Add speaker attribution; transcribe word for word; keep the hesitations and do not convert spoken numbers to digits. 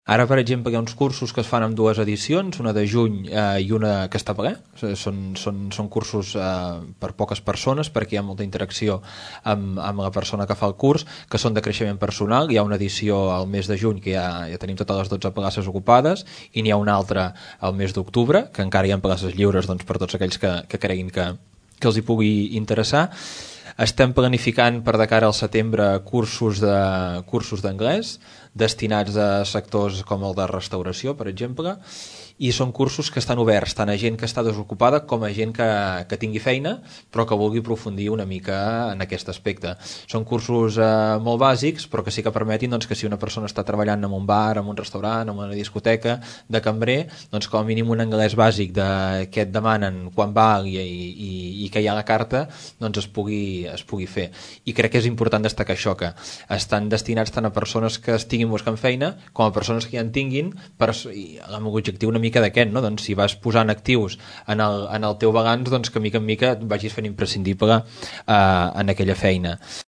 Speaker 1: Ara, per exemple, hi ha uns cursos que es fan amb dues edicions, una de juny eh, i una que està ple. Són, són, són cursos eh, per poques persones, perquè hi ha molta interacció amb, amb la persona que fa el curs, que són de creixement personal. Hi ha una edició al mes de juny que ja, ja tenim totes les dotze places ocupades, i n'hi ha una altra al mes d'octubre, que encara hi ha places lliures doncs, per tots aquells que, que creguin que, que els hi pugui interessar. Estem planificant per de cara al setembre cursos de cursos d'anglès destinats a sectors com el de restauració, per exemple, i són cursos que estan oberts tant a gent que està desocupada com a gent que, que tingui feina però que vulgui aprofundir una mica en aquest aspecte. Són cursos eh, molt bàsics, però que sí que permetin doncs, que si una persona està treballant en un bar, en un restaurant, en una discoteca, de cambrer, doncs com a mínim un anglès bàsic de què et demanen, quan val i, i, i que hi ha a la carta, doncs es pugui, es pugui fer. I crec que és important destacar això, que estan destinats tant a persones que estiguin buscant feina com a persones que ja en tinguin, per, i amb l'objectiu una mica d'aquest, no? Doncs si vas posant actius en el, en el teu balanç, doncs que mica en mica et vagis fent imprescindible eh, en aquella feina.